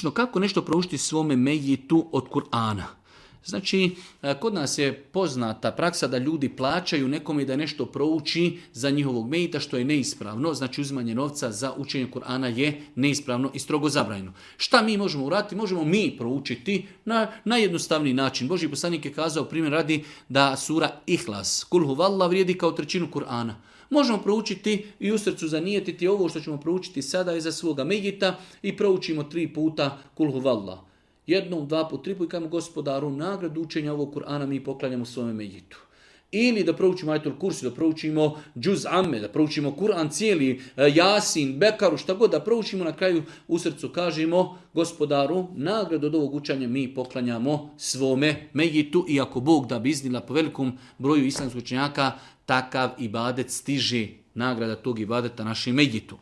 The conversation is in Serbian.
praktično kako nešto proučiti svome mejitu od Kur'ana. Znači, kod nas je poznata praksa da ljudi plaćaju nekome da nešto prouči za njihovog mejita, što je neispravno. Znači, uzimanje novca za učenje Kur'ana je neispravno i strogo zabranjeno. Šta mi možemo uraditi? Možemo mi proučiti na najjednostavniji način. Božji poslanik je kazao, primjer radi, da sura Ihlas, Kul huvallah, vrijedi kao trećinu Kur'ana. Možemo proučiti i u srcu zanijetiti ovo što ćemo proučiti sada iza svoga mejita i proučimo 3 puta Kul huvallah. 1, 2 put, 3 put i kažemo Gospodaru, nagradu učenja ovog Kur'ana mi poklanjamo svome mejitu. Ili da proučimo Ajetul Kursi, da proučimo Džuz Amme, da proučimo Kur'an cijeli, Jasin, Bekaru, šta god da proučimo, na kraju u srcu kažemo Gospodaru, nagradu od ovog učenja mi poklanjamo svome mejitu, i ako Bog da bi iznila po velikom broju islamskih učenjaka, takav ibadet stiže, nagrada tog ibadeta našem mejitu.